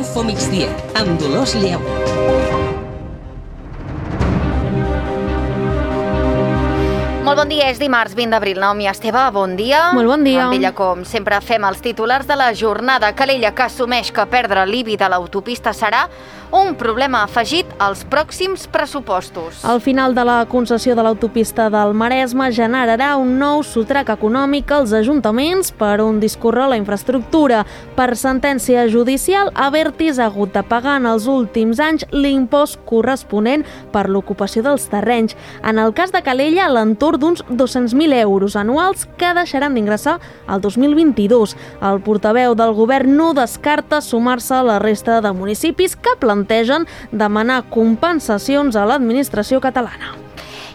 Info Migdia, amb Dolors Lleu. Molt bon dia, és dimarts 20 d'abril. Naomi Esteve, bon dia. Molt bon dia. Amb ella, com sempre, fem els titulars de la jornada. Calella, que assumeix que perdre l'IBI de l'autopista serà un problema afegit als pròxims pressupostos. El final de la concessió de l'autopista del Maresme generarà un nou sotrac econòmic als ajuntaments per on discorre la infraestructura. Per sentència judicial, Abertis ha hagut de pagar en els últims anys l'impost corresponent per l'ocupació dels terrenys. En el cas de Calella, a l'entorn d'uns 200.000 euros anuals que deixaran d'ingressar el 2022. El portaveu del govern no descarta sumar-se a la resta de municipis que plantegen demanar compensacions a l'administració catalana.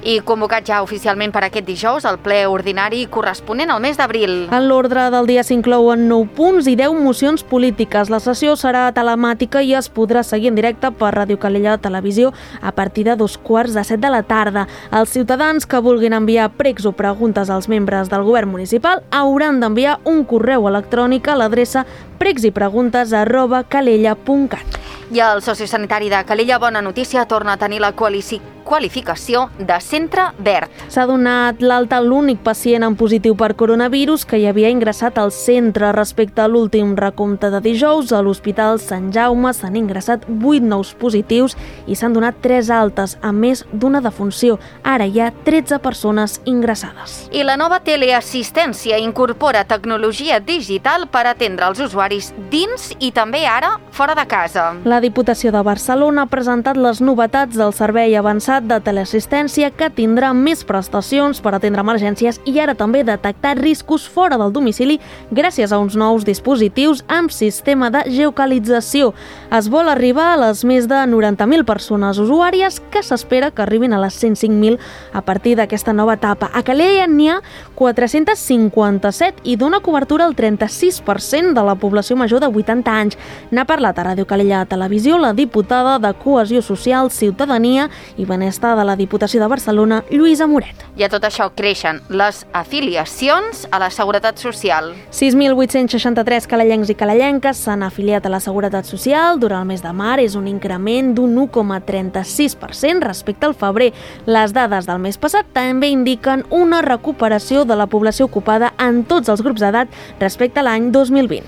I convocat ja oficialment per aquest dijous el ple ordinari corresponent al mes d'abril. En l'ordre del dia s'inclouen 9 punts i 10 mocions polítiques. La sessió serà telemàtica i es podrà seguir en directe per Ràdio Calella Televisió a partir de 2:15 de la tarda. Els ciutadans que vulguin enviar pregs o preguntes als membres del govern municipal hauran d'enviar un correu electrònic a l'adreça pregsipreguntes@calella.cat. I el sociosanitari de Calella, bona notícia, torna a tenir la qualificació de centre verd. S'ha donat l'alta a l'únic pacient en positiu per coronavirus que hi havia ingressat al centre. Respecte a l'últim recompte de dijous, a l'Hospital Sant Jaume s'han ingressat 8 nous positius i s'han donat 3 altes, a més d'una defunció. Ara hi ha 13 persones ingressades. I la nova teleassistència incorpora tecnologia digital per atendre els usuaris dins i també ara fora de casa. La Diputació de Barcelona ha presentat les novetats del servei avançat de teleassistència que tindrà més prestacions per atendre emergències i ara també detectar riscos fora del domicili gràcies a uns nous dispositius amb sistema de geocalització. Es vol arribar a les més de 90.000 persones usuàries que s'espera que arribin a les 105.000 a partir d'aquesta nova etapa. A Calella n'hi ha 457 i dona cobertura al 36% de la població major de 80 anys. N'ha parlat a Ràdio Calella Televisió la diputada de Cohesió Social, Ciutadania i Benestar de la Diputació de Barcelona, Lluïsa Moret. I a tot això creixen les afiliacions a la Seguretat Social. 6.863 calellencs i calellenques s'han afiliat a la Seguretat Social durant el mes de març. És un increment d'un 1,36% respecte al febrer. Les dades del mes passat també indiquen una recuperació de la població ocupada en tots els grups d'edat respecte a l'any 2020.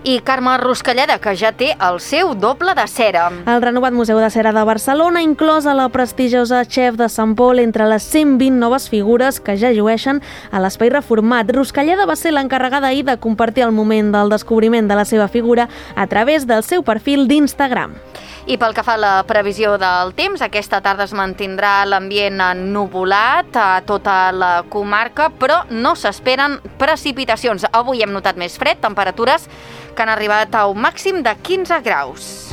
I Carme Ruscalleda, que ja té el seu doble de cera. El renovat Museu de Cera de Barcelona ha inclòs a la prestigiosa Chef de Sant Pol entre les 120 noves figures que ja llueixen a l'espai reformat. Ruscalleda va ser l'encarregada ahir de compartir el moment del descobriment de la seva figura a través del seu perfil d'Instagram. I pel que fa a la previsió del temps, aquesta tarda es mantindrà l'ambient ennuvolat a tota la comarca, però no s'esperen precipitacions. Avui hem notat més fred, temperatures que han arribat a un màxim de 15 graus.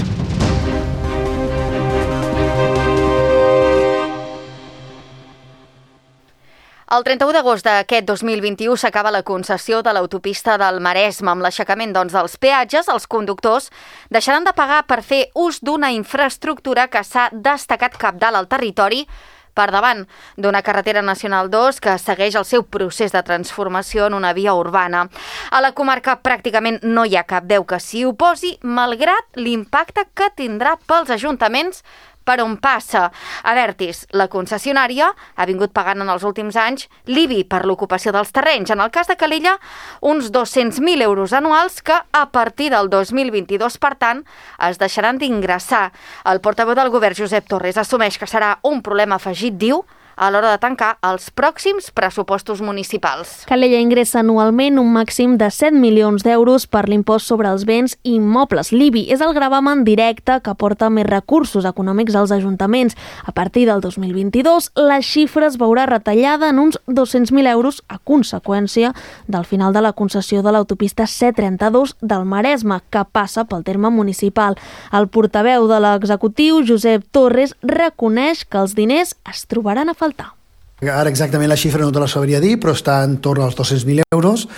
El 31 d'agost d'aquest 2021 s'acaba la concessió de l'autopista del Maresme. Amb l'aixecament dels peatges, els conductors deixaran de pagar per fer ús d'una infraestructura que s'ha destacat cabdal al territori per davant d'una carretera nacional 2 que segueix el seu procés de transformació en una via urbana. A la comarca pràcticament no hi ha cap veu que s'hi oposi, malgrat l'impacte que tindrà pels ajuntaments per on passa. Abertis, la concessionària, ha vingut pagant en els últims anys l'IBI per l'ocupació dels terrenys. En el cas de Calella, uns 200.000 euros anuals que a partir del 2022, per tant, es deixaran d'ingressar. El portaveu del govern, Josep Torres, assumeix que serà un problema afegit, diu, a l'hora de tancar els pròxims pressupostos municipals. Calella ingressa anualment un màxim de 7 milions d'euros per l'impost sobre els béns immobles. L'IBI és el gravamen directe que aporta més recursos econòmics als ajuntaments. A partir del 2022, la xifra es veurà retallada en uns 200.000 euros a conseqüència del final de la concessió de l'autopista C32 del Maresme, que passa pel terme municipal. El portaveu de l'executiu, Josep Torres, reconeix que els diners es trobaran a faltar. Ara exactament la xifra no te la sabria dir, però està en torn als 200.000 euros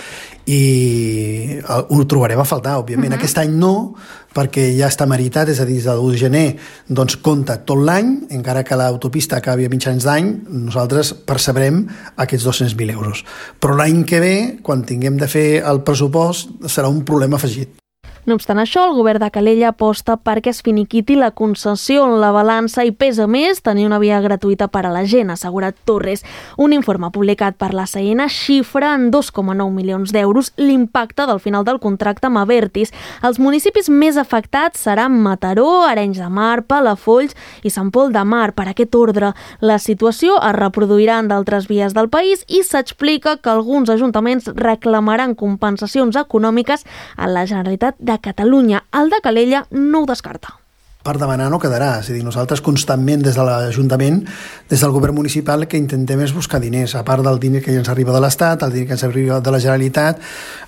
i ho trobarem a faltar, òbviament. Aquest any no, perquè ja està meritat, és a dir, des de l'1 de gener doncs compta tot l'any, encara que l'autopista acabi a mitjans d'any, nosaltres percebrem aquests 200.000 euros. Però l'any que ve, quan tinguem de fer el pressupost, serà un problema afegit. No obstant això, el govern de Calella aposta perquè es finiquiti la concessió en la balança i pesa més tenir una via gratuïta per a la gent, ha assegurat Torres. Un informe publicat per la SEINA xifra en 2,9 milions d'euros l'impacte del final del contracte amb Abertis. Els municipis més afectats seran Mataró, Arenys de Mar, Palafolls i Sant Pol de Mar. Per aquest ordre, la situació es reproduirà en d'altres vies del país i s'explica que alguns ajuntaments reclamaran compensacions econòmiques a la Generalitat de Catalunya. El de Calella no ho descarta. Per demanar no quedarà, és a dir, nosaltres constantment des de l'Ajuntament, des del govern municipal, el que intentem és buscar diners, a part del diner que ja ens arriba de l'Estat, el diner que ens arriba de la Generalitat,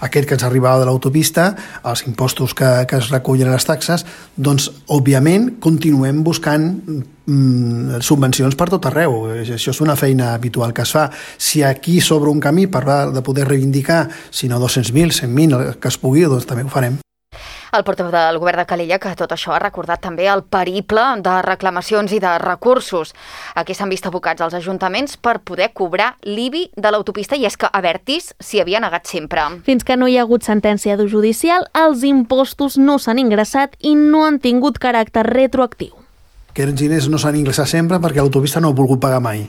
aquest que ens arribava de l'autopista, els impostos que es recullen a les taxes, doncs, òbviament, continuem buscant subvencions per tot arreu. Això és una feina habitual que es fa. Si aquí s'obre un camí per de poder reivindicar, si no 200.000, 100.000, que es pugui, doncs també ho farem. El portaveu del govern de Calella, que tot això ha recordat també el periple de reclamacions i de recursos. Aquí s'han vist abocats els ajuntaments per poder cobrar l'IBI de l'autopista, i és que Abertis s'hi havia negat sempre. Fins que no hi ha hagut sentència judicial, els impostos no s'han ingressat i no han tingut caràcter retroactiu. Aquests diners no s'han ingressat sempre perquè l'autopista no ha volgut pagar mai.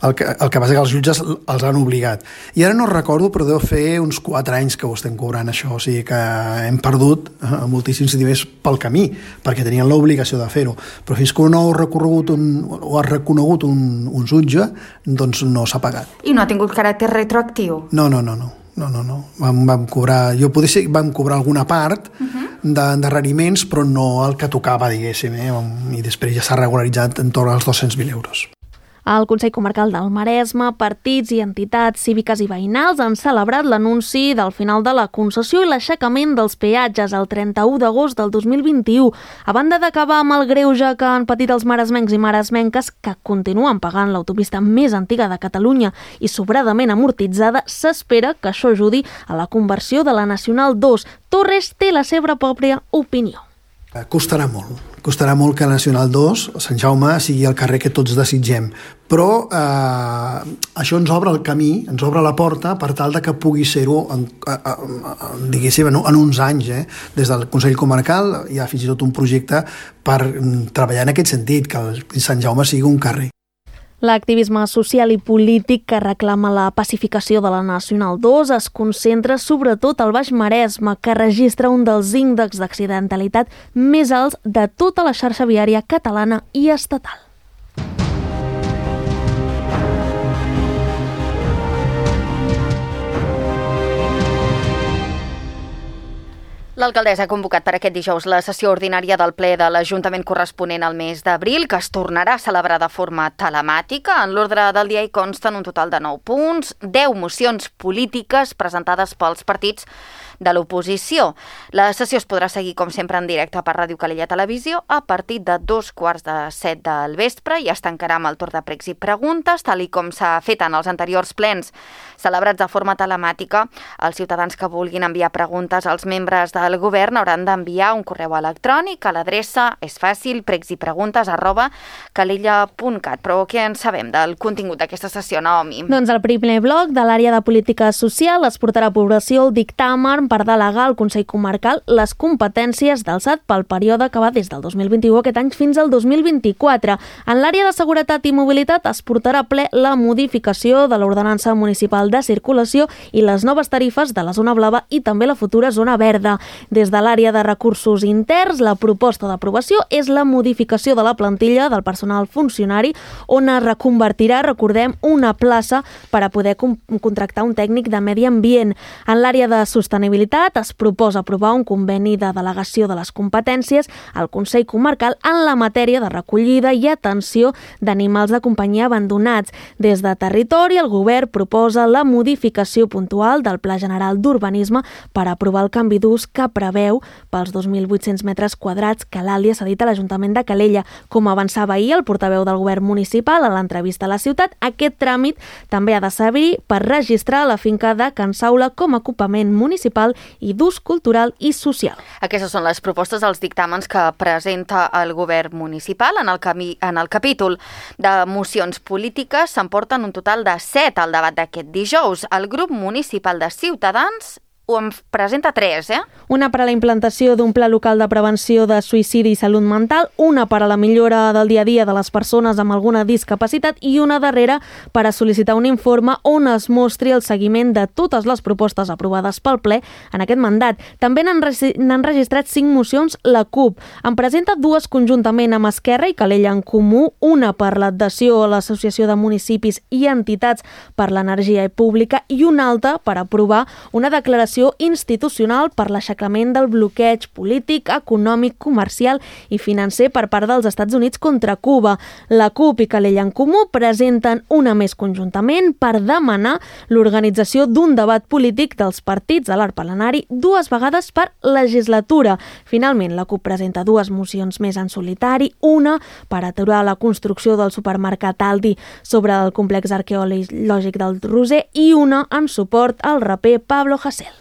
El que passa que els jutges els han obligat. I ara no recordo, però deu fer uns 4 anys que ho estem cobrant, això. O sigui que hem perdut moltíssims diners pel camí, perquè tenien l'obligació de fer-ho. Però fins que no ho ha reconegut un jutge, doncs no s'ha pagat. I no ha tingut caràcter retroactiu? No. Vam cobrar, vam cobrar alguna part d'endarreriments, però no el que tocava, diguéssim, i després ja s'ha regularitzat en torn als 200.000 euros. Al Consell Comarcal del Maresme, partits i entitats cíviques i veïnals han celebrat l'anunci del final de la concessió i l'aixecament dels peatges el 31 d'agost del 2021, a banda d'acabar amb el greuge que han patit els maresmencs i maresmenques que continuen pagant l'autopista més antiga de Catalunya i sobradament amortitzada. S'espera que això ajudi a la conversió de la Nacional 2. Torres té la seva pròpia opinió. Costarà molt que la Nacional 2, Sant Jaume, sigui el carrer que tots desitgem, però això ens obre el camí, ens obre la porta per tal de que pugui ser-ho diguéssim, en uns anys. Des del Consell Comarcal hi ha fins i tot un projecte per treballar en aquest sentit, que el Sant Jaume sigui un carrer. L'activisme social i polític que reclama la pacificació de la Nacional 2 es concentra sobretot al Baix Maresme, que registra un dels índexs d'accidentalitat més alts de tota la xarxa viària catalana i estatal. L'alcaldessa ha convocat per aquest dijous la sessió ordinària del ple de l'Ajuntament corresponent al mes d'abril, que es tornarà a celebrar de forma telemàtica. En l'ordre del dia hi consten un total de 9 punts, 10 mocions polítiques presentades pels partits de l'oposició. La sessió es podrà seguir, com sempre, en directe per Ràdio Calella Televisió a partir de 2:45 del vespre i es tancarà amb el torn de pregs i preguntes, tal i com s'ha fet en els anteriors plens celebrats de forma telemàtica. Els ciutadans que vulguin enviar preguntes als membres del govern hauran d'enviar un correu electrònic a l'adreça, és fàcil, pregsipreguntes@calella.cat. Però què en sabem del contingut d'aquesta sessió, Naomi? Doncs el primer bloc de l'àrea de política social es portarà a aprovació el dictamen per delegar al Consell Comarcal les competències del SAT pel període que va des del 2021 aquest any fins al 2024. En l'àrea de seguretat i mobilitat es portarà a ple la modificació de l'ordenança municipal de circulació i les noves tarifes de la zona blava i també la futura zona verda. Des de l'àrea de recursos interns, la proposta d'aprovació és la modificació de la plantilla del personal funcionari, on es reconvertirà, recordem, una plaça per a poder contractar un tècnic de medi ambient. En l'àrea de sostenibilitat es proposa aprovar un conveni de delegació de les competències al Consell Comarcal en la matèria de recollida i atenció d'animals de companyia abandonats. Des de Territori, el govern proposa la modificació puntual del Pla General d'Urbanisme per aprovar el canvi d'ús que preveu pels 2.800 metres quadrats que l'Àlia s'ha dit a l'Ajuntament de Calella. Com avançava ahir el portaveu del govern municipal a l'entrevista a la ciutat, aquest tràmit també ha de servir per registrar la finca de Can Saula com a ocupament municipal i d'ús cultural i social. Aquestes són les propostes dels dictàmens que presenta el govern municipal. En el capítol de mocions polítiques s'emporten un total de 7 al debat d'aquest dijous. El grup municipal de Ciutadans en presenta 3, Una per a la implantació d'un pla local de prevenció de suïcidi i salut mental, una per a la millora del dia a dia de les persones amb alguna discapacitat i una darrera per a sol·licitar un informe on es mostri el seguiment de totes les propostes aprovades pel ple en aquest mandat. També n'han registrat 5 mocions la CUP. En presenta 2 conjuntament amb Esquerra i Calella en Comú, una per l'adhesió a l'Associació de Municipis i Entitats per l'Energia Pública i una altra per aprovar una declaració institucional per l'aixecament del bloqueig polític, econòmic, comercial i financer per part dels Estats Units contra Cuba. La CUP i Calella en Comú presenten una més conjuntament per demanar l'organització d'un debat polític dels partits a l'art plenari 2 vegades per legislatura. Finalment, la CUP presenta 2 mocions més en solitari, una per aturar la construcció del supermercat Aldi sobre el complex arqueològic del Roser i una en suport al raper Pablo Hasél.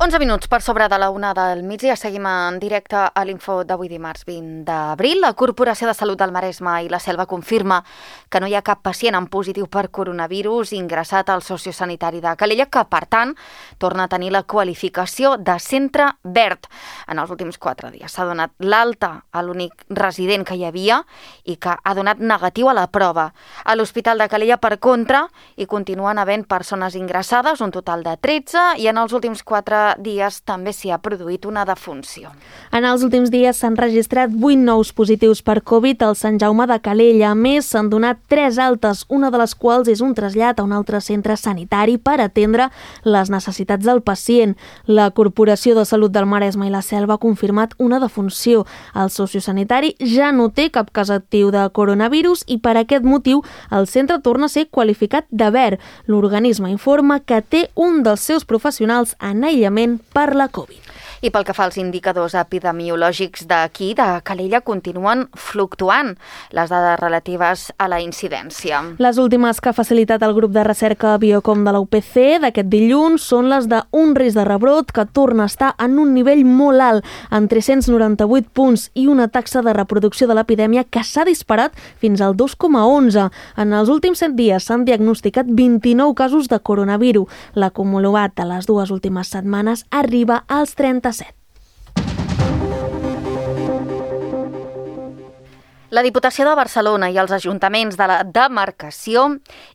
Onze minuts per sobre de la 1 del migdia. Seguim en directe a l'Info d'avui dimarts 20 d'abril. La Corporació de Salut del Maresme i la Selva confirma que no hi ha cap pacient en positiu per coronavirus ingressat al sociosanitari de Calella, que, per tant, torna a tenir la qualificació de centre verd. En els últims 4 dies s'ha donat l'alta a l'únic resident que hi havia i que ha donat negatiu a la prova. A l'Hospital de Calella, per contra, hi continuen havent persones ingressades, un total de 13, i en els últims 4 dies també s'hi ha produït una defunció. En els últims dies s'han registrat 8 nous positius per Covid al Sant Jaume de Calella. A més, s'han donat 3 altes, una de les quals és un trasllat a un altre centre sanitari per atendre les necessitats del pacient. La Corporació de Salut del Maresme i la Selva ha confirmat una defunció. El sociosanitari ja no té cap cas actiu de coronavirus i per aquest motiu el centre torna a ser qualificat de verd. L'organisme informa que té un dels seus professionals en aïllament per la Covid. I pel que fa als indicadors epidemiològics d'aquí, de Calella, continuen fluctuant les dades relatives a la incidència. Les últimes que ha facilitat el grup de recerca Biocom de la UPC d'aquest dilluns són les d'un risc de rebrot que torna a estar en un nivell molt alt, en 398 punts, i una taxa de reproducció de l'epidèmia que s'ha disparat fins al 2,11. En els últims 7 dies s'han diagnosticat 29 casos de coronavirus. L'acumulat de les 2 últimes setmanes arriba als 37. La Diputació de Barcelona i els ajuntaments de la demarcació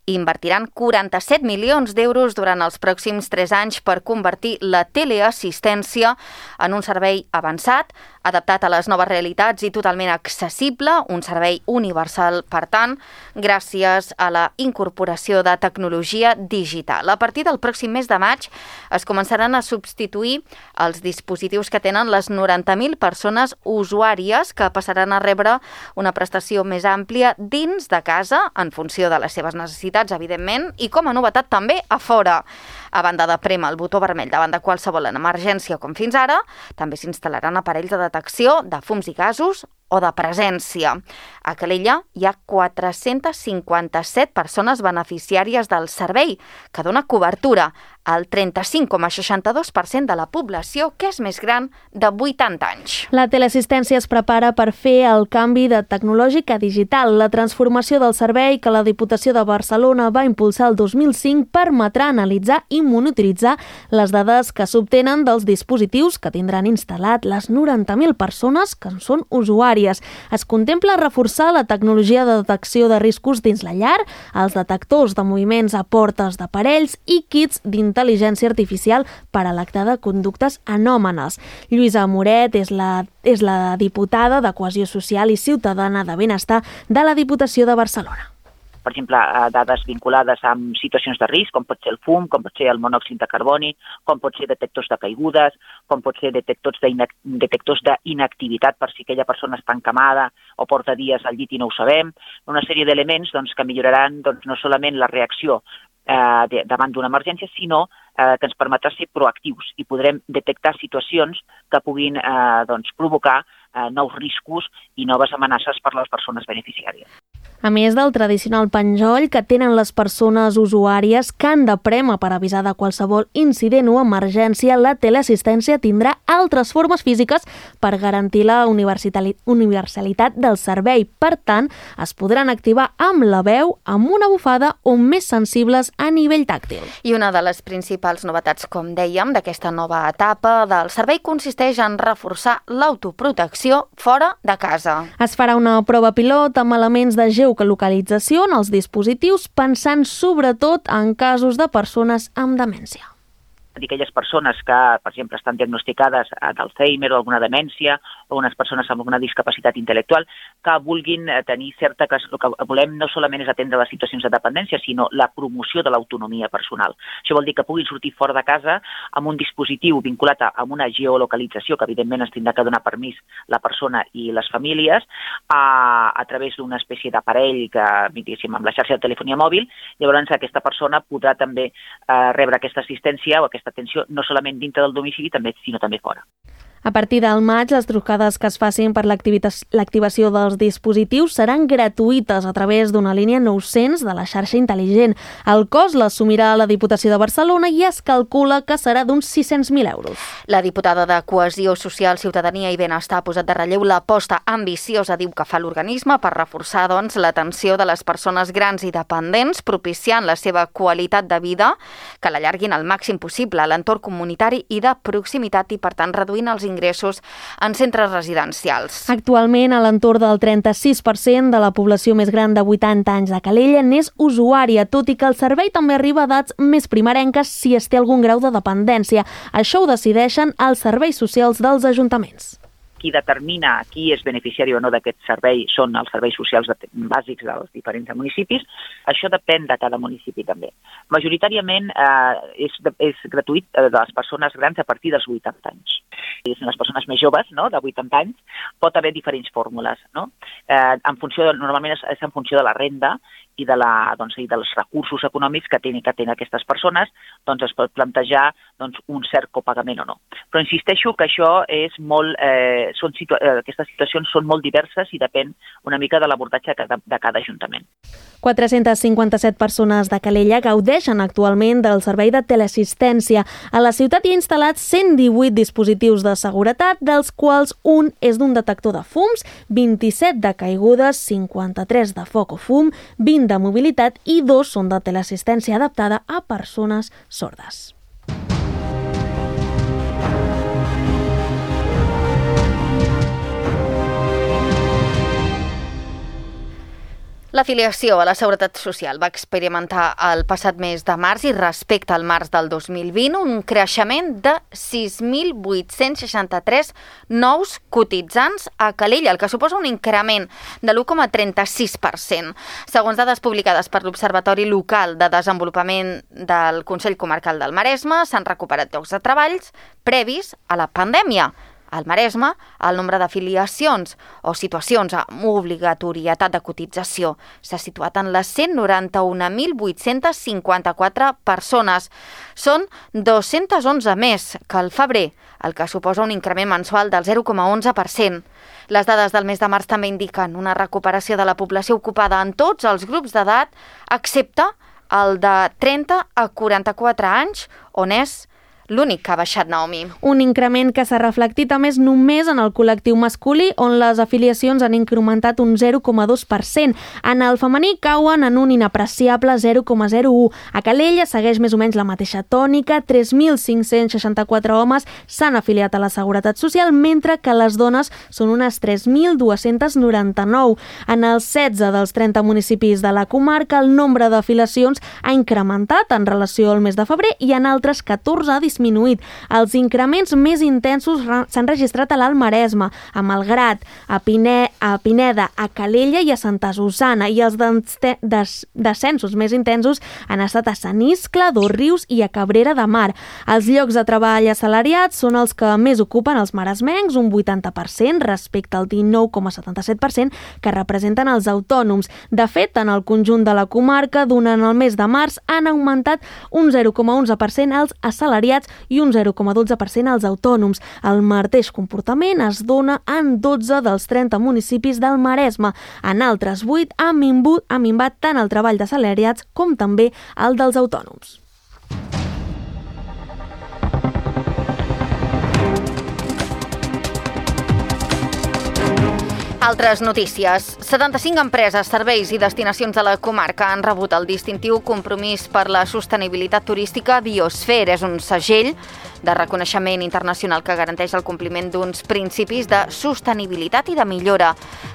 invertiran 47 milions d'euros durant els pròxims 3 anys per convertir la teleassistència en un servei avançat, adaptat a les noves realitats i totalment accessible, un servei universal, per tant, gràcies a la incorporació de tecnologia digital. A partir del pròxim mes de maig es començaran a substituir els dispositius que tenen les 90.000 persones usuàries que passaran a rebre una prestació més àmplia dins de casa, en funció de les seves necessitats, evidentment, i com a novetat també a fora. A banda de prémer el botó vermell davant de qualsevol emergència com fins ara, també s'instal·laran aparells de detecció de fums i gasos o de presència. A Calella hi ha 457 persones beneficiàries del servei, que dona cobertura al 35,62% de la població, que és més gran de 80 anys. La teleassistència es prepara per fer el canvi de tecnològic a digital. La transformació del servei que la Diputació de Barcelona va impulsar el 2005 permetrà analitzar i monitoritzar les dades que s'obtenen dels dispositius que tindran instal·lat les 90.000 persones que en són usuàries. Es contempla reforçar la tecnologia de detecció de riscos dins la llar, els detectors de moviments a portes d'aparells i kits d'intel·ligència artificial per a l'acte de conductes anòmales. Lluïsa Moret és la diputada de Cohesió Social i Ciutadana de Benestar de la Diputació de Barcelona. Per exemple, dades vinculades amb situacions de risc, com pot ser el fum, com pot ser el monòxid de carboni, com pot ser detectors de caigudes, com pot ser detectors d'inactivitat per si aquella persona està encamada o porta dies al llit i no ho sabem. Una sèrie d'elements que milloraran no solament la reacció davant d'una emergència, sinó que ens permetrà ser proactius i podrem detectar situacions que puguin provocar nous riscos i noves amenaces per a les persones beneficiàries. A més del tradicional penjoll que tenen les persones usuàries que han de prémer per avisar de qualsevol incident o emergència, la teleassistència tindrà altres formes físiques per garantir la universalitat del servei. Per tant, es podran activar amb la veu, amb una bufada o més sensibles a nivell tàctil. I una de les principals novetats, com dèiem, d'aquesta nova etapa del servei consisteix en reforçar l'autoprotecció fora de casa. Es farà una prova pilot amb elements de geolocalització en els dispositius, pensant sobretot en casos de persones amb demència. Aquelles persones que, per exemple, estan diagnosticades d'Alzheimer o alguna demència, o unes persones amb alguna discapacitat intel·lectual, que vulguin tenir certa... El que volem no solament és atendre les situacions de dependència, sinó la promoció de l'autonomia personal. Això vol dir que puguin sortir fora de casa amb un dispositiu vinculat a una geolocalització, que evidentment ens tindrà que donar permís la persona i les famílies, a través d'una espècie d'aparell que, diguéssim, amb la xarxa de telefonia mòbil. Llavors aquesta persona podrà també rebre aquesta assistència o aquesta atenció no solament dintre del domicili, sinó també fora. A partir del maig, les trucades que es facin per l'activació dels dispositius seran gratuïtes a través d'una línia 900 de la xarxa intel·ligent. El cost l'assumirà la Diputació de Barcelona i es calcula que serà d'uns 600.000 euros. La diputada de Cohesió Social, Ciutadania i Benestar ha posat de relleu l'aposta ambiciosa, diu, que fa l'organisme per reforçar l'atenció de les persones grans i dependents, propiciant la seva qualitat de vida, que l'allarguin al màxim possible a l'entorn comunitari i de proximitat i, per tant, reduint els ingressos en centres residencials. Actualment, a l'entorn del 36% de la població més gran de 80 anys de Calella n'és usuària, tot i que el servei també arriba a edats més primerenques si es té algun grau de dependència. Això ho decideixen els serveis socials dels ajuntaments. Qui determina qui és beneficiari o no d'aquest servei són els serveis socials bàsics dels diferents municipis. Això depèn de cada municipi també. Majoritàriament és gratuït de les persones grans a partir dels 80 anys. Les persones més joves, no, de 80 anys, pot haver diferents fórmules. No? Normalment és en funció de la renda i dels recursos econòmics que tenen aquestes persones, doncs es pot plantejar un cert copagament o no. Però insisteixo que això és molt... aquestes situacions són molt diverses i depèn una mica de l'abordatge de cada ajuntament. 457 persones de Calella gaudeixen actualment del servei de teleassistència. A la ciutat hi ha instal·lats 118 dispositius de seguretat, dels quals un és d'un detector de fums, 27 de caigudes, 53 de foc o fum, 20 de mobilitat i 2 són de teleassistència adaptada a persones sordes. L'afiliació a la Seguretat Social va experimentar el passat mes de març i respecte al març del 2020 un creixement de 6.863 nous cotitzants a Calella, el que suposa un increment de l'1,36%. Segons dades publicades per l'Observatori Local de Desenvolupament del Consell Comarcal del Maresme, s'han recuperat llocs de treballs previs a la pandèmia. Al Maresme, el nombre d'afiliacions o situacions amb obligatorietat de cotització s'ha situat en les 191.854 persones. Són 211 més que al febrer, el que suposa un increment mensual del 0,11%. Les dades del mes de març també indiquen una recuperació de la població ocupada en tots els grups d'edat, excepte el de 30 a 44 anys, on és l'únic que ha baixat, Naomi. Un increment que s'ha reflectit a més només en el col·lectiu masculí, on les afiliacions han incrementat un 0,2%. En el femení cauen en un inapreciable 0,01%. A Calella segueix més o menys la mateixa tònica, 3.564 homes s'han afiliat a la Seguretat Social, mentre que les dones són unes 3.299. En els 16 dels 30 municipis de la comarca, el nombre d'afiliacions ha incrementat en relació al mes de febrer i en altres 14 ha disminuït. Els increments més intensos s'han registrat a l'Alt Maresme, a Malgrat, a Pineda, a Calella i a Santa Susanna, i els descensos més intensos han estat a Sant Iscle, Dosrius i a Cabrera de Mar. Els llocs de treball assalariats són els que més ocupen els maresmencs, un 80% respecte al 19,77% que representen els autònoms. De fet, en el conjunt de la comarca, durant el mes de març han augmentat un 0,11% els assalariats i un 0,12% als autònoms. El mateix comportament es dona en 12 dels 30 municipis del Maresme. En altres 8 ha minvat tant el treball d'assalariats com també el dels autònoms. Altres notícies. 75 empreses, serveis i destinacions de la comarca han rebut el distintiu Compromís per la Sostenibilitat Turística Biosphere. És un segell de reconeixement internacional que garanteix el compliment d'uns principis de sostenibilitat i de millora.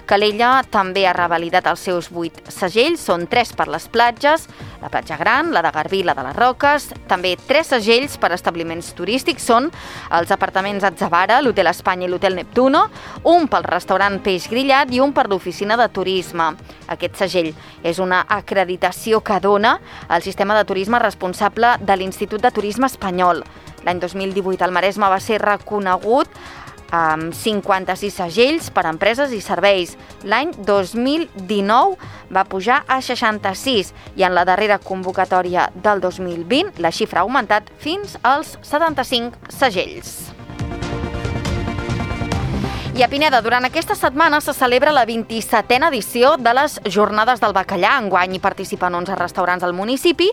Calella també ha revalidat els seus 8 segells, són 3 per les platges, la platja Gran, la de Garbí, la de les Roques, també 3 segells per establiments turístics, són els apartaments Atzavara, l'Hotel Espanya i l'Hotel Neptuno, un pel restaurant Peix Grillat i un per l'oficina de turisme. Aquest segell és una acreditació que dona el sistema de turisme responsable de l'Institut de Turisme Espanyol. L'any 2018 el Maresme va ser reconegut amb 56 segells per a empreses i serveis. L'any 2019 va pujar a 66 i en la darrera convocatòria del 2020 la xifra ha augmentat fins als 75 segells. I a Pineda, durant aquesta setmana se celebra la 27a edició de les Jornades del Bacallà. Enguany hi participen 11 restaurants del municipi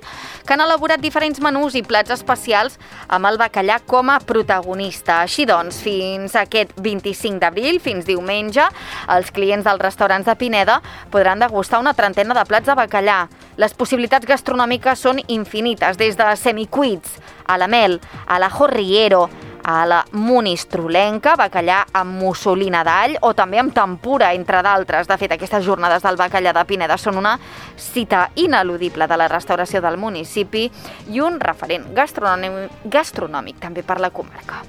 que han elaborat diferents menús i plats especials amb el bacallà com a protagonista. Així doncs, fins aquest 25 d'abril, fins diumenge, els clients dels restaurants de Pineda podran degustar una trentena de plats de bacallà. Les possibilitats gastronòmiques són infinites, des de semicuits, a la mel, a l'ajo riero, a la monistrolenca, bacallà amb mussolina d'all o també amb tempura, entre d'altres. De fet, aquestes jornades del bacallà de Pineda són una cita ineludible de la restauració del municipi i un referent gastronòmic també per la comarca.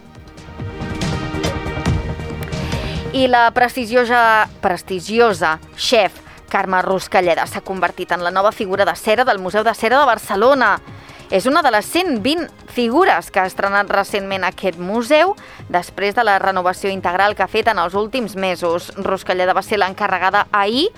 I la prestigiosa xef Carme Ruscalleda s'ha convertit en la nova figura de cera del Museu de Cera de Barcelona. És una de les 120 figures que ha estrenat recentment aquest museu després de la renovació integral que ha fet en els últims mesos. Ruscalleda va ser l'encarregada ahir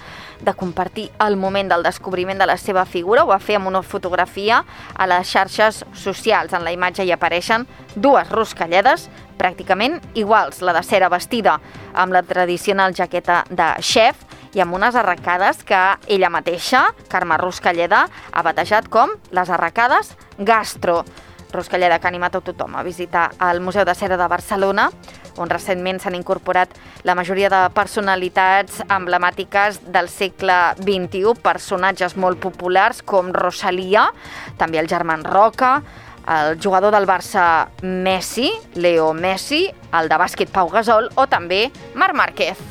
de compartir el moment del descobriment de la seva figura. Ho va fer amb una fotografia a les xarxes socials. En la imatge hi apareixen 2 Ruscalledes pràcticament iguals, la de cera vestida amb la tradicional jaqueta de xef i amb unes arracades que ella mateixa, Carme Ruscalleda, ha batejat com les arracades gastro. Ruscalleda, que ha animat a tothom a visitar el Museu de Cera de Barcelona, on recentment s'han incorporat la majoria de personalitats emblemàtiques del segle XXI, personatges molt populars com Rosalia, també el Germán Roca, el jugador del Barça Messi, Leo Messi, el de bàsquet Pau Gasol o també Marc Márquez.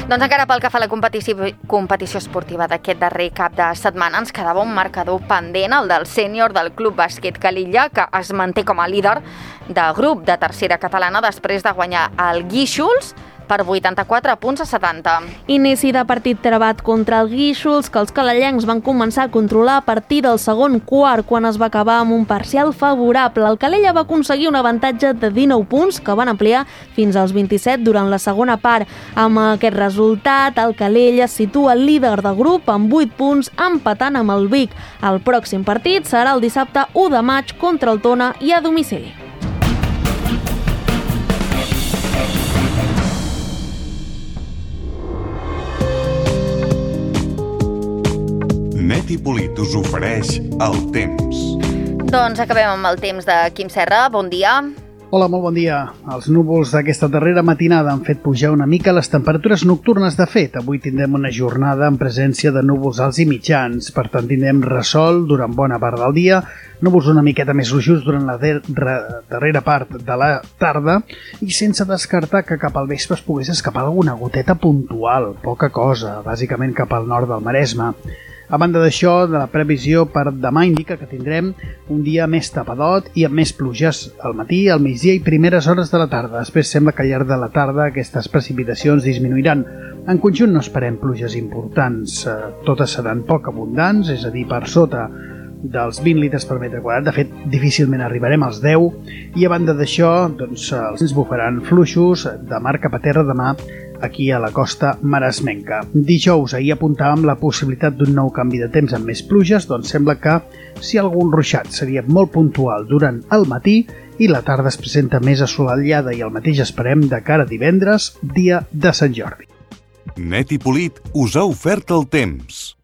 Doncs encara pel que fa a la competició esportiva d'aquest darrer cap de setmana, ens quedava un marcador pendent, el del sènior del Club Bàsquet Calella, que es manté com a líder de grup de tercera catalana després de guanyar el Guíxols per 84 punts a 70. Inici de partit travat contra el Guíxols, que els calellencs van començar a controlar a partir del segon quart, quan es va acabar amb un parcial favorable. El Calella va aconseguir un avantatge de 19 punts, que van ampliar fins als 27 durant la segona part. Amb aquest resultat, el Calella situa el líder de grup amb 8 punts, empatant amb el Vic. El pròxim partit serà el dissabte 1 de maig contra el Tona i a domicili. Net i Polit us ofereix el temps. Doncs acabem amb el temps de Quim Serra. Bon dia. Hola, molt bon dia. Els núvols d'aquesta darrera matinada han fet pujar una mica les temperatures nocturnes. De fet, avui tindrem una jornada en presència de núvols alts i mitjans. Per tant, tindrem ressol durant bona part del dia, núvols una miqueta més gruixuts durant la darrera part de la tarda i sense descartar que cap al vespre es pogués escapar alguna goteta puntual, poca cosa, bàsicament cap al nord del Maresme. A banda d'això, de la previsió per demà indica que tindrem un dia més tapadot i amb més pluges al matí, al migdia i primeres hores de la tarda. Després sembla que al llarg de la tarda aquestes precipitacions disminuiran. En conjunt no esperem pluges importants. Totes seran poc abundants, és a dir, per sota dels 20 litres per metre quadrat. De fet, difícilment arribarem als 10 i a banda d'això, doncs, ens bufaran fluixos de mar cap a terra demà aquí a la costa maresmenca. Dijous, ahir apuntàvem la possibilitat d'un nou canvi de temps amb més pluges, doncs sembla que si algun ruixat seria molt puntual durant el matí i la tarda es presenta més assolellada i el mateix esperem de cara a divendres, dia de Sant Jordi. Net i Polit us ha ofert el temps.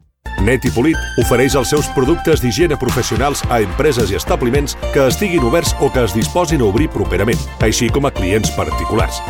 Net i Polit ofereix els seus productes d'higiene professionals a empreses i establiments que estiguin oberts o que es disposin a obrir properament, així com a clients particulars.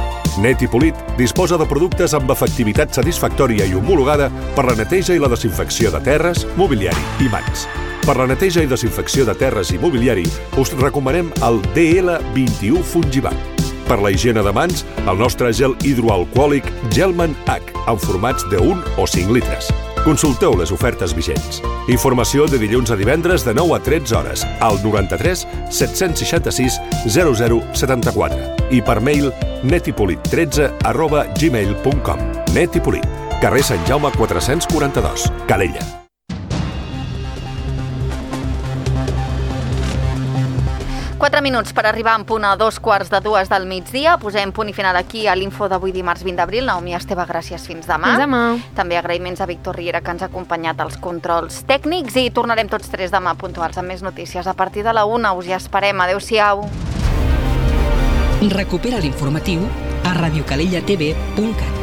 Net i Polit disposa de productes amb efectivitat satisfactòria i homologada per la neteja i la desinfecció de terres, mobiliari i mans. Per la neteja i desinfecció de terres i mobiliari us recomanem el DL21 Fungibat. Per la higiene de mans, el nostre gel hidroalcohòlic Gelman H, en formats de 1 o 5 litres. Consulteu les ofertes vigents. Informació de dilluns a divendres de 9 a 13 hores al 93 766 0074 i per mail netipolit13@gmail.com. Net i Polit, carrer Sant Jaume 442, Calella. Quatre minuts per arribar en punt a 2:15 del migdia. Posem punt i final aquí a l'info d'avui dimarts 20 d'abril. Naomi Esteve, gràcies. Fins demà. Fins demà. També agraïments a Víctor Riera, que ens ha acompanyat als controls tècnics, i tornarem tots tres demà puntuals amb més notícies. A partir de la 1 us hi esperem. Adéu-siau. Recupera l'informatiu a radiocalellatv.cat.